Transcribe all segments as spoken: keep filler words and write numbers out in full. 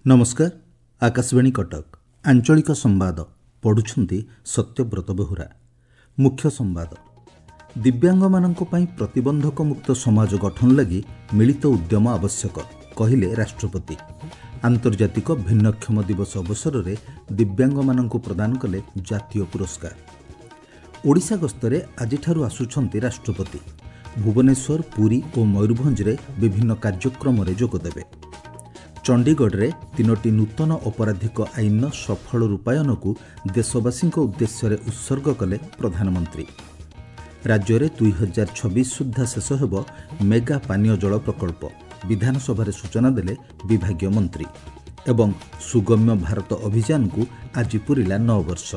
ନମସ୍କାର ଆକାଶବାଣୀ କଟକ ଆଞ୍ଚଳିକ ସମ୍ବାଦ ପଢୁଛନ୍ତି ସତ୍ୟବ୍ରତ ବେହୁରା ମୁଖ୍ୟ ସମ୍ବାଦ ଦିବ୍ୟାଙ୍ଗମାନଙ୍କ ପାଇଁ ପ୍ରତିବନ୍ଧକମୁକ୍ତ ସମାଜ ଗଠନ ଲାଗି ମିଳିତ ଉଦ୍ୟମ ଆବଶ୍ୟକ କହିଲେ ରାଷ୍ଟ୍ରପତି ଆନ୍ତର୍ଜାତିକ ଭିନ୍ନକ୍ଷମ ଦିବସ ଅବସରରେ ଦିବ୍ୟାଙ୍ଗମାନଙ୍କୁ ପ୍ରଦାନ କଲେ ଜାତୀୟ ପୁରସ୍କାର ଓଡ଼ିଶା ଗସ୍ତରେ ଆଜିଠାରୁ ଆସୁଛନ୍ତି ରାଷ୍ଟ୍ରପତି ଭୁବନେଶ୍ୱର ପୁରୀ ଓ ମୟୂରଭଞ୍ଜରେ ବିଭିନ୍ନ କାର୍ଯ୍ୟକ୍ରମରେ ଯୋଗଦେବେ ଚଣ୍ଡିଗଡ଼ରେ ତିନୋଟି ନୂତନ ଅପରାଧିକ ଆଇନର ସଫଳ ରୂପାୟନକୁ ଦେଶବାସୀଙ୍କ ଉଦ୍ଦେଶ୍ୟରେ ଉତ୍ସର୍ଗ କଲେ ପ୍ରଧାନମନ୍ତ୍ରୀ ରାଜ୍ୟରେ ଦୁଇ ହଜାର ଛବିଶ ସୁଦ୍ଧା ଶେଷ ହେବ ମେଗା ପାନୀୟ ଜଳ ପ୍ରକଳ୍ପ ବିଧାନସଭାରେ ସୂଚନା ଦେଲେ ବିଭାଗୀୟ ମନ୍ତ୍ରୀ ଏବଂ ସୁଗମ୍ୟ ଭାରତ ଅଭିଯାନକୁ ଆଜି ପୂରିଲା ନଅ ବର୍ଷ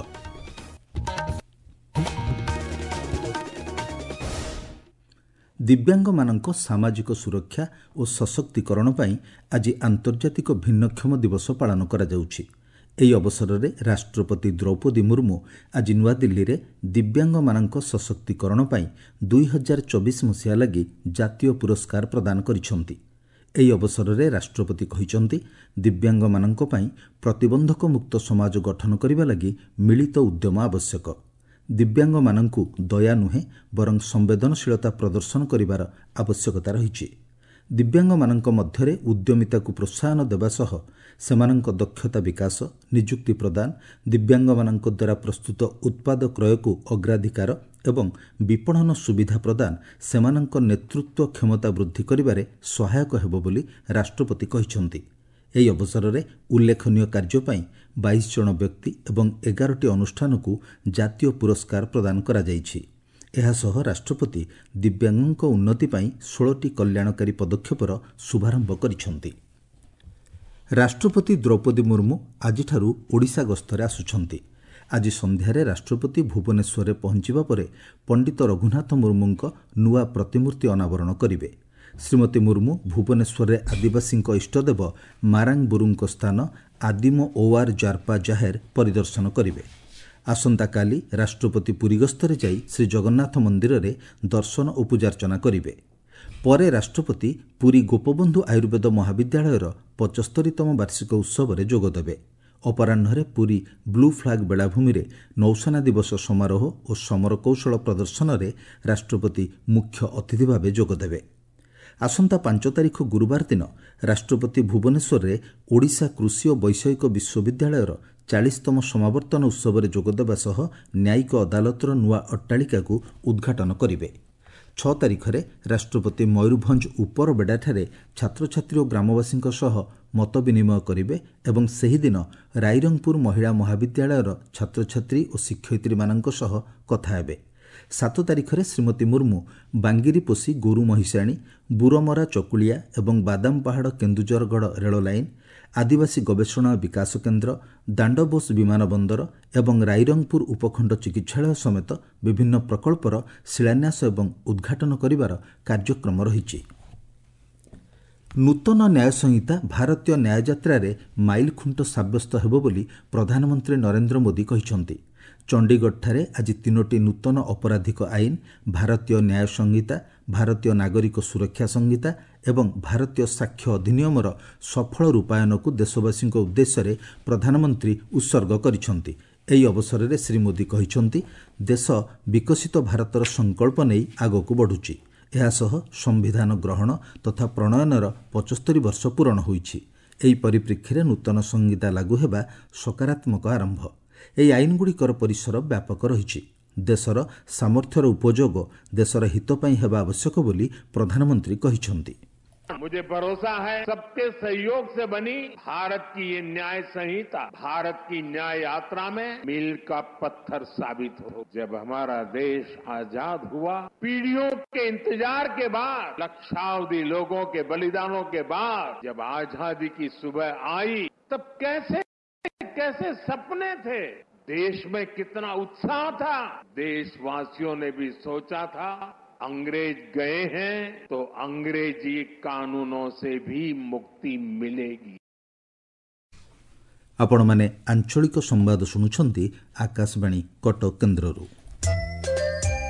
ଦିବ୍ୟାଙ୍ଗମାନଙ୍କ ସାମାଜିକ ସୁରକ୍ଷା ଓ ସଶକ୍ତିକରଣ ପାଇଁ ଆଜି ଆନ୍ତର୍ଜାତିକ ଭିନ୍ନକ୍ଷମ ଦିବସ ପାଳନ କରାଯାଉଛି ଏହି ଅବସରରେ ରାଷ୍ଟ୍ରପତି ଦ୍ରୌପଦୀ ମୁର୍ମୁ ଆଜି ନୂଆଦିଲ୍ଲୀରେ ଦିବ୍ୟାଙ୍ଗମାନଙ୍କ ସଶକ୍ତିକରଣ ପାଇଁ ଦୁଇ ହଜାର ଚବିଶ ମସିହା ଲାଗି ଜାତୀୟ ପୁରସ୍କାର ପ୍ରଦାନ କରିଛନ୍ତି ଏହି ଅବସରରେ ରାଷ୍ଟ୍ରପତି କହିଛନ୍ତି ଦିବ୍ୟାଙ୍ଗମାନଙ୍କ ପାଇଁ ପ୍ରତିବନ୍ଧକମୁକ୍ତ ସମାଜ ଗଠନ କରିବା ଲାଗି ମିଳିତ ଉଦ୍ୟମ ଆବଶ୍ୟକ ଦିବ୍ୟାଙ୍ଗମାନଙ୍କୁ ଦୟା ନୁହେଁ ବରଂ ସମ୍ବେଦନଶୀଳତା ପ୍ରଦର୍ଶନ କରିବାର ଆବଶ୍ୟକତା ରହିଛି ଦିବ୍ୟାଙ୍ଗମାନଙ୍କ ମଧ୍ୟରେ ଉଦ୍ୟମିତାକୁ ପ୍ରୋତ୍ସାହନ ଦେବା ସହ ସେମାନଙ୍କ ଦକ୍ଷତା ବିକାଶ ନିଯୁକ୍ତି ପ୍ରଦାନ ଦିବ୍ୟାଙ୍ଗମାନଙ୍କ ଦ୍ୱାରା ପ୍ରସ୍ତୁତ ଉତ୍ପାଦ କ୍ରୟକୁ ଅଗ୍ରାଧିକାର ଏବଂ ବିପଣନ ସୁବିଧା ପ୍ରଦାନ ସେମାନଙ୍କ ନେତୃତ୍ୱ କ୍ଷମତା ବୃଦ୍ଧି କରିବାରେ ସହାୟକ ହେବ ବୋଲି ରାଷ୍ଟ୍ରପତି କହିଛନ୍ତି ଏହି ଅବସରରେ ଉଲ୍ଲେଖନୀୟ କାର୍ଯ୍ୟ ପାଇଁ ବାଇଶ ଜଣ ବ୍ୟକ୍ତି ଏବଂ ଏଗାରଟି ଅନୁଷ୍ଠାନକୁ ଜାତୀୟ ପୁରସ୍କାର ପ୍ରଦାନ କରାଯାଇଛି ଏହାସହ ରାଷ୍ଟ୍ରପତି ଦିବ୍ୟାଙ୍ଗଙ୍କ ଉନ୍ନତି ପାଇଁ ଷୋହଳଟି କଲ୍ୟାଣକାରୀ ପଦକ୍ଷେପର ଶୁଭାରମ୍ଭ କରିଛନ୍ତି ରାଷ୍ଟ୍ରପତି ଦ୍ରୌପଦୀ ମୁର୍ମୁ ଆଜିଠାରୁ ଓଡ଼ିଶା ଗସ୍ତରେ ଆସୁଛନ୍ତି ଆଜି ସନ୍ଧ୍ୟାରେ ରାଷ୍ଟ୍ରପତି ଭୁବନେଶ୍ୱରରେ ପହଞ୍ଚିବା ପରେ ପଣ୍ଡିତ ରଘୁନାଥ ମୁର୍ମୁଙ୍କ ନୂଆ ପ୍ରତିମୂର୍ତ୍ତି ଅନାବରଣ କରିବେ ଶ୍ରୀମତୀ ମୁର୍ମୁ ଭୁବନେଶ୍ୱରରେ ଆଦିବାସୀଙ୍କ ଇଷ୍ଟଦେବ ମାରାଙ୍ଗବୁରୁଙ୍କ ସ୍ଥାନ ଆଦିମ ଓଆର୍ ଜାର୍ପା ଜାହେର ପରିଦର୍ଶନ କରିବେ ଆସନ୍ତାକାଲି ରାଷ୍ଟ୍ରପତି ପୁରୀ ଗସ୍ତରେ ଯାଇ ଶ୍ରୀଜଗନ୍ନାଥ ମନ୍ଦିରରେ ଦର୍ଶନ ଓ ପୂଜାର୍ଚ୍ଚନା କରିବେ ପରେ ରାଷ୍ଟ୍ରପତି ପୁରୀ ଗୋପବନ୍ଧୁ ଆୟୁର୍ବେଦ ମହାବିଦ୍ୟାଳୟର ପଚସ୍ତରୀତମ ବାର୍ଷିକ ଉତ୍ସବରେ ଯୋଗଦେବେ ଅପରାହ୍ନରେ ପୁରୀ ବ୍ଲୁ ଫ୍ଲାଗ୍ ବେଳାଭୂମିରେ ନୌସେନା ଦିବସ ସମାରୋହ ଓ ସମରକୌଶଳ ପ୍ରଦର୍ଶନରେ ରାଷ୍ଟ୍ରପତି ମୁଖ୍ୟ ଅତିଥି ଭାବେ ଯୋଗଦେବେ ଆସନ୍ତା ପାଞ୍ଚ ତାରିଖ ଗୁରୁବାର ଦିନ ରାଷ୍ଟ୍ରପତି ଭୁବନେଶ୍ୱରରେ ଓଡ଼ିଶା କୃଷି ଓ ବୈଷୟିକ ବିଶ୍ୱବିଦ୍ୟାଳୟର ଚାଳିଶତମ ସମାବର୍ତ୍ତନ ଉତ୍ସବରେ ଯୋଗଦେବା ସହ ନ୍ୟାୟିକ ଅଦାଲତର ନୂଆ ଅଟ୍ଟାଳିକାକୁ ଉଦ୍ଘାଟନ କରିବେ ଛଅ ତାରିଖରେ ରାଷ୍ଟ୍ରପତି ମୟୂରଭଞ୍ଜ ଉପରବେଡ଼ାଠାରେ ଛାତ୍ରଛାତ୍ରୀ ଓ ଗ୍ରାମବାସୀଙ୍କ ସହ ମତ ବିନିମୟ କରିବେ ଏବଂ ସେହିଦିନ ରାଇରଙ୍ଗପୁର ମହିଳା ମହାବିଦ୍ୟାଳୟର ଛାତ୍ରଛାତ୍ରୀ ଓ ଶିକ୍ଷୟିତ୍ରୀମାନଙ୍କ ସହ କଥା ହେବେ ସାତ ତାରିଖରେ ଶ୍ରୀମତୀ ମୁର୍ମୁ ବାଙ୍ଗିରିପୋଷି ଗୋରୁ ମହିଷାଣୀ ବୁରମରା ଚକୁଳିଆ ଏବଂ ବାଦାମପାହାଡ଼ କେନ୍ଦୁଝରଗଡ଼ ରେଳ ଲାଇନ୍ ଆଦିବାସୀ ଗବେଷଣା ବିକାଶ କେନ୍ଦ୍ର ଦାଣ୍ଡବୋଷ ବିମାନ ବନ୍ଦର ଏବଂ ରାଇରଙ୍ଗପୁର ଉପଖଣ୍ଡ ଚିକିତ୍ସାଳୟ ସମେତ ବିଭିନ୍ନ ପ୍ରକଳ୍ପର ଶିଳାନ୍ୟାସ ଏବଂ ଉଦ୍ଘାଟନ କରିବାର କାର୍ଯ୍ୟକ୍ରମ ରହିଛି ନୂତନ ନ୍ୟାୟ ସଂହିତା ଭାରତୀୟ ନ୍ୟାୟଯାତ୍ରାରେ ମାଇଲଖୁଣ୍ଟ ସାବ୍ୟସ୍ତ ହେବ ବୋଲି ପ୍ରଧାନମନ୍ତ୍ରୀ ନରେନ୍ଦ୍ର ମୋଦି କହିଛନ୍ତି ଚଣ୍ଡିଗଡ଼ଠାରେ ଆଜି ତିନୋଟି ନୂତନ ଅପରାଧିକ ଆଇନ ଭାରତୀୟ ନ୍ୟାୟ ସଂହିତା ଭାରତୀୟ ନାଗରିକ ସୁରକ୍ଷା ସଂହିତା ଏବଂ ଭାରତୀୟ ସାକ୍ଷ୍ୟ ଅଧିନିୟମର ସଫଳ ରୂପାୟନକୁ ଦେଶବାସୀଙ୍କ ଉଦ୍ଦେଶ୍ୟରେ ପ୍ରଧାନମନ୍ତ୍ରୀ ଉତ୍ସର୍ଗ କରିଛନ୍ତି ଏହି ଅବସରରେ ଶ୍ରୀ ମୋଦି କହିଛନ୍ତି ଦେଶ ବିକଶିତ ଭାରତର ସଂକଳ୍ପ ନେଇ ଆଗକୁ ବଢ଼ୁଛି ଏହାସହ ସମ୍ବିଧାନ ଗ୍ରହଣ ତଥା ପ୍ରଣୟନର ପଚସ୍ତରୀ ବର୍ଷ ପୂରଣ ହୋଇଛି ଏହି ପରିପ୍ରେକ୍ଷୀରେ ନୂତନ ସଂହିତା ଲାଗୁ ହେବା ସକାରାତ୍ମକ ଆରମ୍ଭ ଏହି ଆଇନଗୁଡ଼ିକର ପରିସର ବ୍ୟାପକ ରହିଛି ଦେଶର ସାମର୍ଥ୍ୟର ଉପଯୋଗ ଦେଶର ହିତ ପାଇଁ ହେବା ଆବଶ୍ୟକ ବୋଲି ପ୍ରଧାନମନ୍ତ୍ରୀ କହିଛନ୍ତି मुझे भरोसा है सबके सहयोग से बनी भारत की ये न्याय संहिता भारत की न्याय यात्रा में मील का पत्थर साबित हो जब हमारा देश आजाद हुआ पीढ़ियों के इंतजार के बाद लक्षावधि लोगों के बलिदानों के बाद जब आजादी की सुबह आई तब कैसे कैसे सपने थे देश में कितना उत्साह था देशवासियों ने भी सोचा था अंग्रेज गए हैं तो अंग्रेजी कानूनों से भी मुक्ति मिलेगी ଆପଣମାନେ ଆଞ୍ଚଳିକ ସମ୍ବାଦ ଶୁଣୁଛନ୍ତି ଆକାଶବାଣୀ କଟକ କେନ୍ଦ୍ରରୁ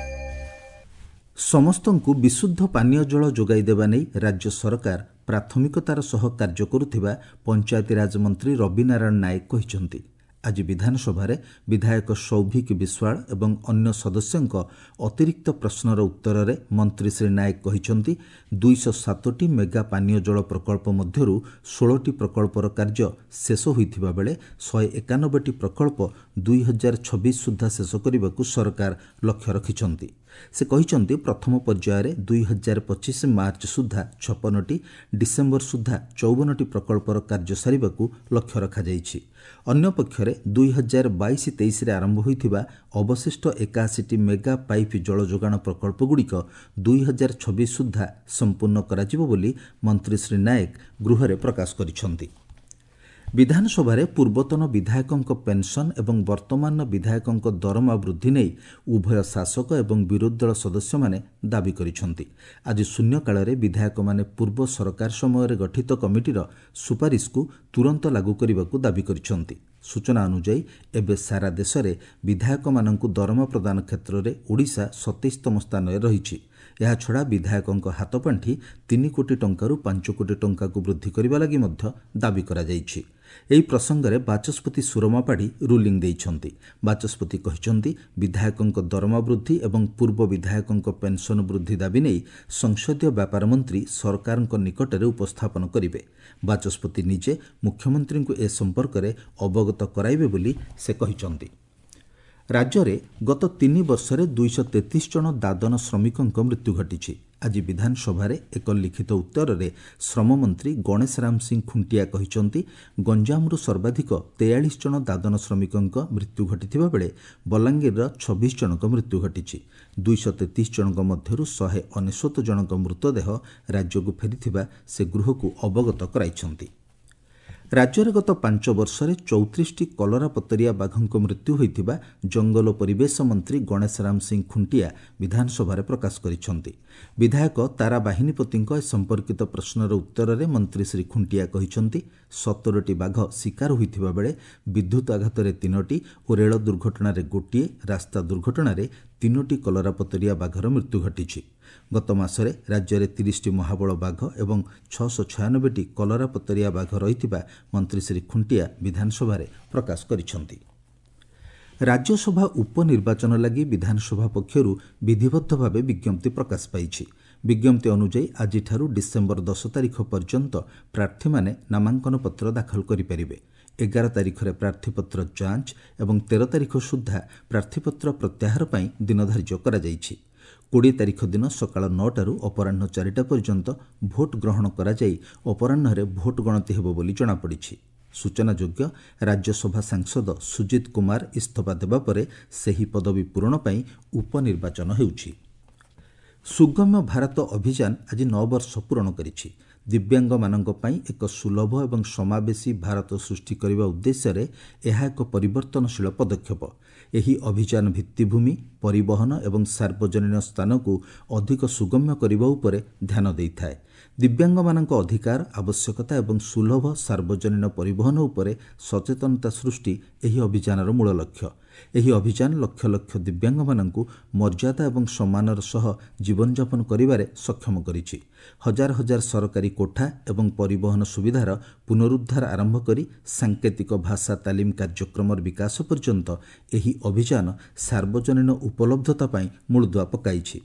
ସମସ୍ତଙ୍କୁ ବିଶୁଦ୍ଧ ପାନୀୟ ଜଳ ଯୋଗାଇ ଦେବା ନେଇ ରାଜ୍ୟ ସରକାର ପ୍ରାଥମିକତାର ସହ କାର୍ଯ୍ୟ କରୁଥିବା ପଞ୍ଚାୟତିରାଜ ମନ୍ତ୍ରୀ ରବି ନାରାୟଣ ନାୟକ କହିଛନ୍ତି। ଆଜି ବିଧାନସଭାରେ ବିଧାୟକ ସୌଭିକ ବିଶ୍ୱାଳ ଏବଂ ଅନ୍ୟ ସଦସ୍ୟଙ୍କ ଅତିରିକ୍ତ ପ୍ରଶ୍ନର ଉତ୍ତରରେ ମନ୍ତ୍ରୀ ଶ୍ରୀ ନାୟକ କହିଛନ୍ତି, ଦୁଇଶହ ସାତଟି ମେଗା ପାନୀୟ ଜଳ ପ୍ରକଳ୍ପ ମଧ୍ୟରୁ ଷୋହଳଟି ପ୍ରକଳ୍ପର କାର୍ଯ୍ୟ ଶେଷ ହୋଇଥିବା ବେଳେ ଶହେ ଏକାନବେଟି ପ୍ରକଳ୍ପ ଦୁଇ ହଜାର ଛବିଶ ସୁଦ୍ଧା ଶେଷ କରିବାକୁ ସରକାର ଲକ୍ଷ୍ୟ ରଖିଛନ୍ତି। ସେ କହିଛନ୍ତି, ପ୍ରଥମ ପର୍ଯ୍ୟାୟରେ ଦୁଇ ହଜାର ପଚିଶ ମାର୍ଚ୍ଚ ସୁଦ୍ଧା ଛପନଟି, ଡିସେମ୍ବର ସୁଦ୍ଧା ଚଉବନଟି ପ୍ରକଳ୍ପର କାର୍ଯ୍ୟ ସାରିବାକୁ ଲକ୍ଷ୍ୟ ରଖାଯାଇଛି। ଅନ୍ୟପକ୍ଷରେ ଦୁଇ ହଜାର ବାଇଶ ତେଇଶରେ ଆରମ୍ଭ ହୋଇଥିବା ଅବଶିଷ୍ଟ ଏକାଅଶୀଟି ମେଗା ପାଇପ୍ ଜଳ ଯୋଗାଣ ପ୍ରକଳ୍ପଗୁଡ଼ିକ ଦୁଇ ହଜାର ଛବିଶ ସୁଦ୍ଧା ସମ୍ପୂର୍ଣ୍ଣ କରାଯିବ ବୋଲି ମନ୍ତ୍ରୀ ଶ୍ରୀ ନାୟକ ଗୃହରେ ପ୍ରକାଶ କରିଛନ୍ତି। ବିଧାନସଭାରେ ପୂର୍ବତନ ବିଧାୟକଙ୍କ ପେନ୍ସନ୍ ଏବଂ ବର୍ତ୍ତମାନର ବିଧାୟକଙ୍କ ଦରମା ବୃଦ୍ଧି ନେଇ ଉଭୟ ଶାସକ ଏବଂ ବିରୋଧୀ ଦଳ ସଦସ୍ୟମାନେ ଦାବି କରିଛନ୍ତି। ଆଜି ଶୂନ୍ୟକାଳରେ ବିଧାୟକମାନେ ପୂର୍ବ ସରକାର ସମୟରେ ଗଠିତ କମିଟିର ସୁପାରିଶକୁ ତୁରନ୍ତ ଲାଗୁ କରିବାକୁ ଦାବି କରିଛନ୍ତି। ସୂଚନା ଅନୁଯାୟୀ ଏବେ ସାରା ଦେଶରେ ବିଧାୟକମାନଙ୍କୁ ଦରମା ପ୍ରଦାନ କ୍ଷେତ୍ରରେ ଓଡ଼ିଶା ସତେଇଶତମ ସ୍ଥାନରେ ରହିଛି। ଏହାଛଡ଼ା ବିଧାୟକଙ୍କ ହାତପାଣ୍ଠି ତିନି କୋଟି ଟଙ୍କାରୁ ପାଞ୍ଚ କୋଟି ଟଙ୍କାକୁ ବୃଦ୍ଧି କରିବା ଲାଗି ମଧ୍ୟ ଦାବି କରାଯାଇଛି। ଏହି ପ୍ରସଙ୍ଗରେ ବାଚସ୍ପତି ସୁରମା ପାଢ଼ୀ ରୁଲିଂ ଦେଇଛନ୍ତି। ବାଚସ୍ପତି କହିଛନ୍ତି, ବିଧାୟକଙ୍କ ଦରମା ବୃଦ୍ଧି ଏବଂ ପୂର୍ବ ବିଧାୟକଙ୍କ ପେନ୍ସନ୍ ବୃଦ୍ଧି ଦାବି ନେଇ ସଂସଦୀୟ ବ୍ୟାପାର ମନ୍ତ୍ରୀ ସରକାରଙ୍କ ନିକଟରେ ଉପସ୍ଥାପନ କରିବେ। ବାଚସ୍ପତି ନିଜେ ମୁଖ୍ୟମନ୍ତ୍ରୀଙ୍କୁ ଏ ସମ୍ପର୍କରେ ଅବଗତ କରାଇବେ ବୋଲି ସେ କହିଛନ୍ତି। ରାଜ୍ୟରେ ଗତ ତିନି ବର୍ଷରେ ଦୁଇଶହ ତେତିଶ ଜଣ ଦାଦନ ଶ୍ରମିକଙ୍କ ମୃତ୍ୟୁ ଘଟିଛି। ଆଜି ବିଧାନସଭାରେ ଏକ ଲିଖିତ ଉତ୍ତରରେ ଶ୍ରମମନ୍ତ୍ରୀ ଗଣେଶ ରାମ ସିଂ ଖୁଣ୍ଟିଆ କହିଛନ୍ତି, ଗଞ୍ଜାମରୁ ସର୍ବାଧିକ ତେୟାଳିଶ ଜଣ ଦାଦନ ଶ୍ରମିକଙ୍କ ମୃତ୍ୟୁ ଘଟିଥିବା ବେଳେ ବଲାଙ୍ଗୀରର ଛବିଶ ଜଣଙ୍କ ମୃତ୍ୟୁ ଘଟିଛି। ଦୁଇଶହ ତେତିଶ ଜଣଙ୍କ ମଧ୍ୟରୁ ଶହେ ଅନେଶ୍ୱତ ଜଣଙ୍କ ମୃତଦେହ ରାଜ୍ୟକୁ ଫେରିଥିବା ସେ ଗୃହକୁ ଅବଗତ କରାଇଛନ୍ତି। ରାଜ୍ୟରେ ଗତ ପାଞ୍ଚ ବର୍ଷରେ ଚଉତିରିଶଟି କଲରାପତରିଆ ବାଘଙ୍କ ମୃତ୍ୟୁ ହୋଇଥିବା ଜଙ୍ଗଲ ପରିବେଶ ମନ୍ତ୍ରୀ ଗଣେଶ ରାମ ସିଂ ଖୁଣ୍ଟିଆ ବିଧାନସଭାରେ ପ୍ରକାଶ କରିଛନ୍ତି। ବିଧାୟକ ତାରା ବାହିନୀପତିଙ୍କ ଏ ସମ୍ପର୍କିତ ପ୍ରଶ୍ନର ଉତ୍ତରରେ ମନ୍ତ୍ରୀ ଶ୍ରୀ ଖୁଣ୍ଟିଆ କହିଛନ୍ତି, ସତରଟି ବାଘ ଶିକାର ହୋଇଥିବା ବେଳେ ବିଦ୍ୟୁତ୍ ଆଘାତରେ ତିନୋଟି ଓ ରେଳ ଦୁର୍ଘଟଣାରେ ଗୋଟିଏ, ରାସ୍ତା ଦୁର୍ଘଟଣାରେ ତିନୋଟି କଲରାପତରିଆ ବାଘର ମୃତ୍ୟୁ ଘଟିଛି। ଗତ ମାସରେ ରାଜ୍ୟରେ ତିରିଶଟି ମହାବଳ ବାଘ ଏବଂ ଛଅଶହ ଛୟାନବେଟି କଲରାପତରିଆ ବାଘ ରହିଥିବା ମନ୍ତ୍ରୀ ଶ୍ରୀ ଖୁଣ୍ଟିଆ ବିଧାନସଭାରେ ପ୍ରକାଶ କରିଛନ୍ତି। ରାଜ୍ୟସଭା ଉପନିର୍ବାଚନ ଲାଗି ବିଧାନସଭା ପକ୍ଷରୁ ବିଧିବଦ୍ଧ ଭାବେ ବିଜ୍ଞପ୍ତି ପ୍ରକାଶ ପାଇଛି। ବିଜ୍ଞପ୍ତି ଅନୁଯାୟୀ ଆଜିଠାରୁ ଡିସେମ୍ବର ଦଶ ତାରିଖ ପର୍ଯ୍ୟନ୍ତ ପ୍ରାର୍ଥୀମାନେ ନାମାଙ୍କନ ପତ୍ର ଦାଖଲ କରିପାରିବେ। ଏଗାର ତାରିଖରେ ପ୍ରାର୍ଥୀପତ୍ର ଯାଞ୍ଚ ଏବଂ ତେର ତାରିଖ ସୁଦ୍ଧା ପ୍ରାର୍ଥୀପତ୍ର ପ୍ରତ୍ୟାହାର ପାଇଁ ଦିନ ଧାର୍ଯ୍ୟ କରାଯାଇଛି। କୋଡ଼ିଏ ତାରିଖ ଦିନ ସକାଳ ନଅଟାରୁ ଅପରାହ୍ନ ଚାରିଟା ପର୍ଯ୍ୟନ୍ତ ଭୋଟ୍ ଗ୍ରହଣ କରାଯାଇ ଅପରାହ୍ନରେ ଭୋଟ୍ ଗଣତି ହେବ ବୋଲି ଜଣାପଡ଼ିଛି। ସୂଚନାଯୋଗ୍ୟ, ରାଜ୍ୟସଭା ସାଂସଦ ସୁଜିତ କୁମାର ଇସ୍ତଫା ଦେବା ପରେ ସେହି ପଦବୀ ପୂରଣ ପାଇଁ ଉପନିର୍ବାଚନ ହେଉଛି। ସୁଗମ୍ୟ ଭାରତ ଅଭିଯାନ ଆଜି ନଅ ବର୍ଷ ପୂରଣ କରିଛି। ଦିବ୍ୟାଙ୍ଗମାନଙ୍କ ପାଇଁ ଏକ ସୁଲଭ ଏବଂ ସମାବେଶୀ ଭାରତ ସୃଷ୍ଟି କରିବା ଉଦ୍ଦେଶ୍ୟରେ ଏହା ଏକ ପରିବର୍ତ୍ତନଶୀଳ ପଦକ୍ଷେପ। ଏହି ଅଭିଯାନ ଭିତ୍ତିଭୂମି, ପରିବହନ ଏବଂ ସାର୍ବଜନୀନ ସ୍ଥାନକୁ ଅଧିକ ସୁଗମ୍ୟ କରିବା ଉପରେ ଧ୍ୟାନ ଦେଇଥାଏ। ଦିବ୍ୟାଙ୍ଗମାନଙ୍କ ଅଧିକାର, ଆବଶ୍ୟକତା ଏବଂ ସୁଲଭ ସାର୍ବଜନୀନ ପରିବହନ ଉପରେ ସଚେତନତା ସୃଷ୍ଟି ଏହି ଅଭିଯାନର ମୂଳ ଲକ୍ଷ୍ୟ। ଏହି ଅଭିଯାନ ଲକ୍ଷ ଲକ୍ଷ ଦିବ୍ୟାଙ୍ଗମାନଙ୍କୁ ମର୍ଯ୍ୟାଦା ଏବଂ ସମ୍ମାନର ସହ ଜୀବନଯାପନ କରିବାରେ ସକ୍ଷମ କରିଛି। ହଜାର ହଜାର ସରକାରୀ କୋଠା ଏବଂ ପରିବହନ ସୁବିଧାର ପୁନରୁଦ୍ଧାର ଆରମ୍ଭ କରି ସାଙ୍କେତିକ ଭାଷା ତାଲିମ କାର୍ଯ୍ୟକ୍ରମର ବିକାଶ ପର୍ଯ୍ୟନ୍ତ ଏହି ଅଭିଯାନ ସାର୍ବଜନୀନ ଉପଲବ୍ଧତା ପାଇଁ ମୂଳଦୁଆ ପକାଇଛି।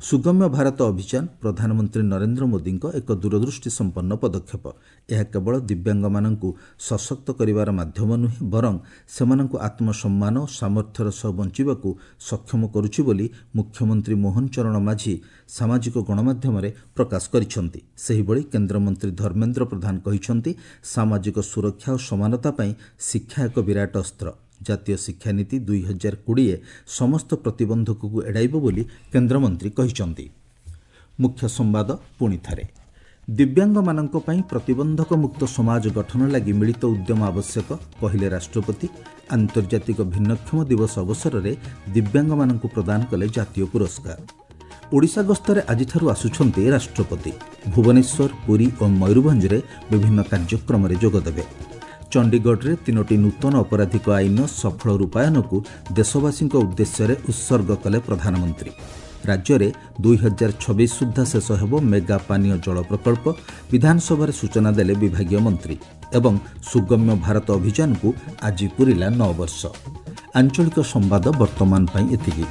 ସୁଗମ୍ୟ ଭାରତ ଅଭିଯାନ ପ୍ରଧାନମନ୍ତ୍ରୀ ନରେନ୍ଦ୍ର ମୋଦିଙ୍କ ଏକ ଦୂରଦୃଷ୍ଟି ସମ୍ପନ୍ନ ପଦକ୍ଷେପ। ଏହା କେବଳ ଦିବ୍ୟାଙ୍ଗମାନଙ୍କୁ ସଶକ୍ତ କରିବାର ମାଧ୍ୟମ ନୁହେଁ, ବରଂ ସେମାନଙ୍କୁ ଆତ୍ମସମ୍ମାନ ଓ ସାମର୍ଥ୍ୟର ସହ ବଞ୍ଚିବାକୁ ସକ୍ଷମ କରୁଛି ବୋଲି ମୁଖ୍ୟମନ୍ତ୍ରୀ ମୋହନ ଚରଣ ମାଝୀ ସାମାଜିକ ଗଣମାଧ୍ୟମରେ ପ୍ରକାଶ କରିଛନ୍ତି। ସେହିଭଳି କେନ୍ଦ୍ରମନ୍ତ୍ରୀ ଧର୍ମେନ୍ଦ୍ର ପ୍ରଧାନ କହିଛନ୍ତି, ସାମାଜିକ ସୁରକ୍ଷା ଓ ସମାନତା ପାଇଁ ଶିକ୍ଷା ଏକ ବିରାଟ ଅସ୍ତ୍ର। ଜାତୀୟ ଶିକ୍ଷାନୀତି ଦୁଇ ହଜାର କୋଡ଼ିଏ ସମସ୍ତ ପ୍ରତିବନ୍ଧକକୁ ଏଡ଼ାଇବ ବୋଲି କେନ୍ଦ୍ରମନ୍ତ୍ରୀ କହିଛନ୍ତି। ମୁଖ୍ୟ ସମ୍ବାଦ ପୁଣି ଥରେ, ଦିବ୍ୟାଙ୍ଗମାନଙ୍କ ପାଇଁ ପ୍ରତିବନ୍ଧକମୁକ୍ତ ସମାଜ ଗଠନ ଲାଗି ମିଳିତ ଉଦ୍ୟମ ଆବଶ୍ୟକ କହିଲେ ରାଷ୍ଟ୍ରପତି। ଆନ୍ତର୍ଜାତିକ ଭିନ୍ନକ୍ଷମ ଦିବସ ଅବସରରେ ଦିବ୍ୟାଙ୍ଗମାନଙ୍କୁ ପ୍ରଦାନ କଲେ ଜାତୀୟ ପୁରସ୍କାର। ଓଡ଼ିଶା ଗସ୍ତରେ ଆଜିଠାରୁ ଆସୁଛନ୍ତି ରାଷ୍ଟ୍ରପତି। ଭୁବନେଶ୍ୱର, ପୁରୀ ଓ ମୟୂରଭଞ୍ଜରେ ବିଭିନ୍ନ କାର୍ଯ୍ୟକ୍ରମରେ ଯୋଗଦେବେ। ଚଣ୍ଡିଗଡ଼ରେ ତିନୋଟି ନୂତନ ଅପରାଧିକ ଆଇନର ସଫଳ ରୂପାୟନକୁ ଦେଶବାସୀଙ୍କ ଉଦ୍ଦେଶ୍ୟରେ ଉତ୍ସର୍ଗ କଲେ ପ୍ରଧାନମନ୍ତ୍ରୀ। ରାଜ୍ୟରେ ଦୁଇ ହଜାର ଛବିଶ ସୁଦ୍ଧା ଶେଷ ହେବ ମେଗା ପାନୀୟ ଜଳ ପ୍ରକଳ୍ପ, ବିଧାନସଭାରେ ସୂଚନା ଦେଲେ ବିଭାଗୀୟ ମନ୍ତ୍ରୀ। ଏବଂ ସୁଗମ୍ୟ ଭାରତ ଅଭିଯାନକୁ ଆଜି ପୂରିଲା ନଅ ବର୍ଷ। ଆଞ୍ଚଳିକ ସମ୍ବାଦ ବର୍ତ୍ତମାନ ପାଇଁ ଏତିକି।